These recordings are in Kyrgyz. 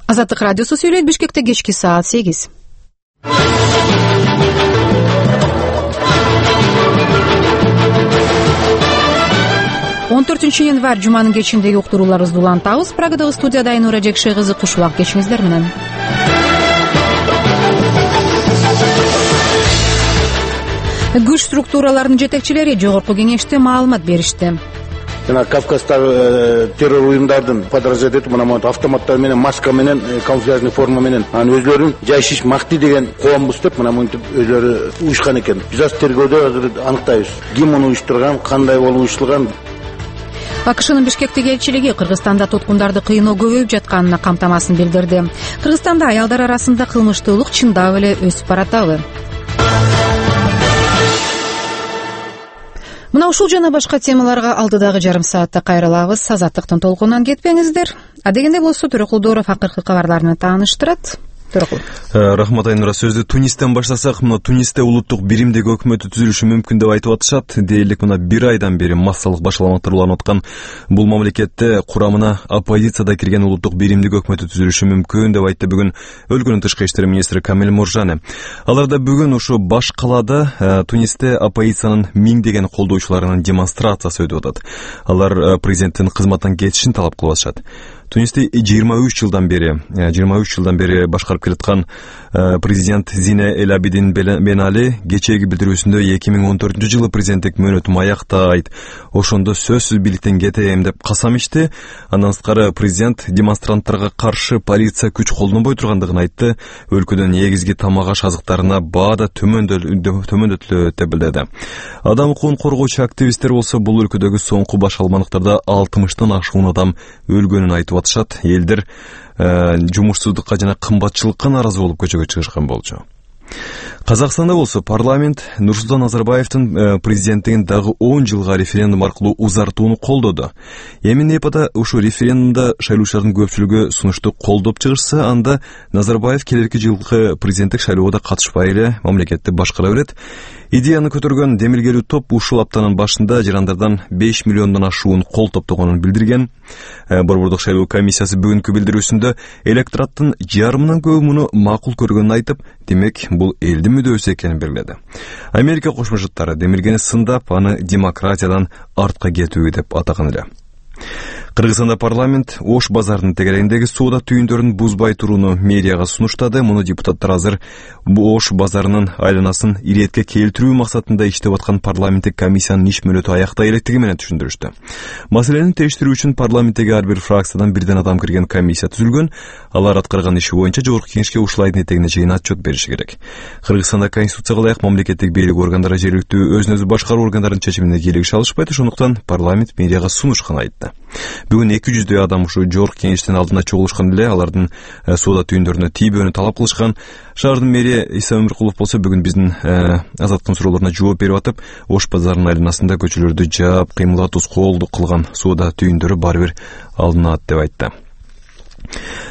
Азаттык радиосу сүйлөйт. Бишкекте кечки саат 8. 14 январь жуманын кечиндеги уктурууларыбызды улантабыз. Прагадагы студияда Айнура Жекше кызы кушубак. Кечиңиздер менен. Күч структураларынын жетекчилери жогорку кеңеште маалымат беришти. Жана Кавказдагы террор уюмдардын подразделениялары мына автоматтар менен, маска менен, камуфляжный форма менен анын өзлөрүн жайшиш макти деген коомбуз деп мына мынтип өзлөрү уюшкан экен. Биз азыр тергөөдө азыр аныктайбыз. Ким муну уюштурган, кандай болуп уюштурган. АКШнын Бишкектеги элчилиги Кыргызстанда туткундарды кыйноо көбөйүп жатканына камтамасын билдирди. Кыргызстанда аялдар арасында кылмыштуулук чындап эле өсүп баратабы? Мына ушул жана башка темаларга алдыдагы жарым саатта кайрылабыз. Азаттыктын толкунунан кетпеңиздер. Адегенде болсо Төрөкулдууров акыркы кабарларны тааныштырат. Рахмат Айнура. Сөздү Тунистен баштасак, мына Тунисте улуттук биримдеги өкмөтү түзүлүшү мүмкүн деп айтып атышат. Дээрлик мына 1 айдан бери массалык башаламаттар уланып аткан бул мамлекетте курамына оппозицияда кирген улуттук биримдеги өкмөтү түзүлүшү мүмкүн деп айтты бүгүн өлкөнүн тышкы иштер министри Камил Муржане. Алар да бүгүн ушу баш калаада Тунисте оппозициянын миңдеген колдоочуларынын демонстрациясы өтүп атат. Алар президенттин кызматтан кетишин талап кылып атышат. Тунисти 23 жылдан бери башкарып келаткан президент Зине Эль Абидин Бен Али кечээги билдирүүсүндө 2014 жылы президенттик мөөнөтүм аяктайт, ошондо сөзсүз бийликтен кетем деп касам ичти. Андан сырткары президент демонстранттарга каршы полиция күч колдонбой тургандыгын айтты. Өлкөдөн негизги тамак аш азыктарына баа да төмөндөтүлөт деп билдирди. Адам укугун коргоочу активисттер болсо бул өлкөдөгү соңку баш алмандыктарда 60-тан ашуун адам өлгөнүн айтып атышат. Элдер жумушсуздукка жана кымбатчылыкка нааразы болуп көчөгө чыгышкан болчу. Казакстанда болсо парламент Нурсултан Назарбаевдин президенттигин дагы 10 жылга референдум аркылуу узартууну колдоду. Эми Непада ушу референдумда шайлоочулардын көпчүлүгү сунушту колдоп чыгышса, анда Назарбаев келерки жылкы президенттик шайлоого катышпай эле мамлекетти башкара берет. Идеяны көтөргөн демилгелүү топ ушул аптанын башында жарандардан 5 миллиондон ашуун кол топтогонун билдирген. Борбордук шайлоо комиссиясы бүгүнкү билдирүүсүндө электораттын жарымынан көбү муну макул көргөнүн айтып, демек бул элдин мүдөөсү экенин белгиледи. Америка Кошмо Штаттары демилгени сындап, аны демократиядан артка кетүү деп атаган эле. Кыргызстанда парламент Ош базарынын тегерегиндеги соода түйүндөрүн бузбай турууну мэрияга сунуштады. Муну депутаттар азыр Ош базарынын айланасын иретке келтирүү максатында иштеп аткан парламенттик комиссиянын иш мөөнөтү аяктай электиги менен түшүндүрүштү. Маселени териштирүү үчүн парламенттеги ар бир фракциядан бирден адам кирген комиссия түзүлгөн. Алар аткарган иши боюнча жогорку кеңешке ушул айдын этегине чейин отчет бериши керек. Кыргызстанда конституцияга ылайык мамлекеттик бийлик органдары жергиликтүү өзүн өзү башкаруу органдарынын чечимине кийлигише алышпайт, ошондуктан парламент мэрияга сунушкан айтты. Бүгүн 200 адам ушу жогорку кеңештин алдында чогулушкан эле, алардын соода түйүндөрүнө тийбөөнү талап кылышкан. Шаардын мэрия Иса Өмүркулов болсо бүгүн биздин азаттыктын суроолоруна жооп берип атып, Ош базарынын айланасында көчөлөрдү жаап, кыймылдатуу колду кылган соода түйүндөрү баары бир алынат деп айтты.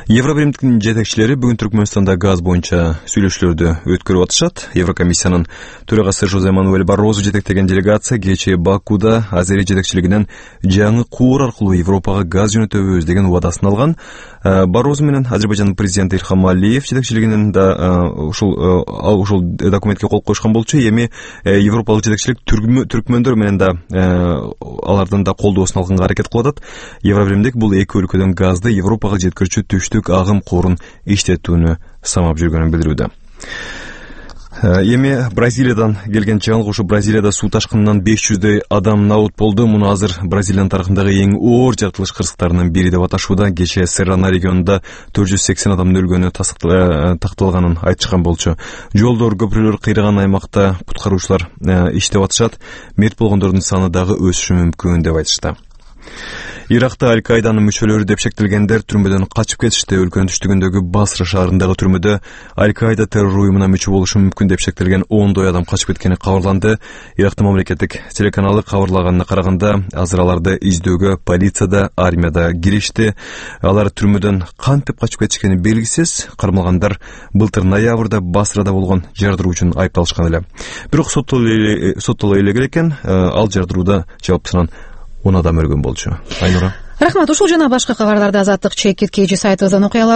Евробиримдиктин жетекчилери бүгүн Түркмөнстанда газ боюнча сүйлөшүүлөрдү өткөрүп атышат. Еврокомиссиянын төрагасы Жозе Мануэль Баррозу жетектеген делегация кечээ Бакуда Азери жетекчилигинен жаңы куур аркылуу Европага газ жөнөтөбүз деген убадасын алган. Баррозу менен Азербайжандын президенти Илхам Алиев жетекчилигинен да ушул документке кол коюшкан болчу. Эми европалык жетекчилик түркмөндөр менен да алардын да колдоосун алганга аракет кылып атат. Евробиримдик бул эки өлкөдөн газды Европага жеткирүүчү түштүк агым куурун иштетүүнү самап жүргөнүн билдирүүдө. Эми Бразилиядан келген жаңылык, ушу Бразилияда суу ташкынынан 500дөй адам набут болду. Муну азыр Бразилиянын тарыхындагы эң оор жаратылыш кырсыктарынын бири деп аташууда. Кечээ Серрана регионунда 480 адамдын өлгөнү такталганын айтышкан болчу. Жолдор, көпүрөлөр кыйраган аймакта куткаруучулар иштеп атышат. Мерт болгондордун саны дагы өсүшү мүмкүн деп айтышты. Иракта Аль-Каиданын мүчөлөрү деп шектелгендер түрмөдөн качып кетишти. Өлкөнүн түштүгүндөгү Басра шаарындагы түрмөдө Аль-Каида террор уюмуна мүчө болушу мүмкүн деп шектелген 10 адам качып кеткени кабарланды. Ирактын мамлекеттик телеканалы кабарлаганына караганда, азыр аларды издөөгө полиция да, армия да киришти. Алар түрмөдөн кантип качып кетишкени белгисиз. Кармалгандар былтыр ноябрда Басрада болгон жардыруу үчүн айыпталышкан эле. Бирок соттоло элек экен, ал жардырууда жауаптысынан 10 адам өлгөн болчу. Айнура. Рахмат. Ушул жана башка кабарларды Азаттык чекит KG сайтыбыздан окуя аласыз.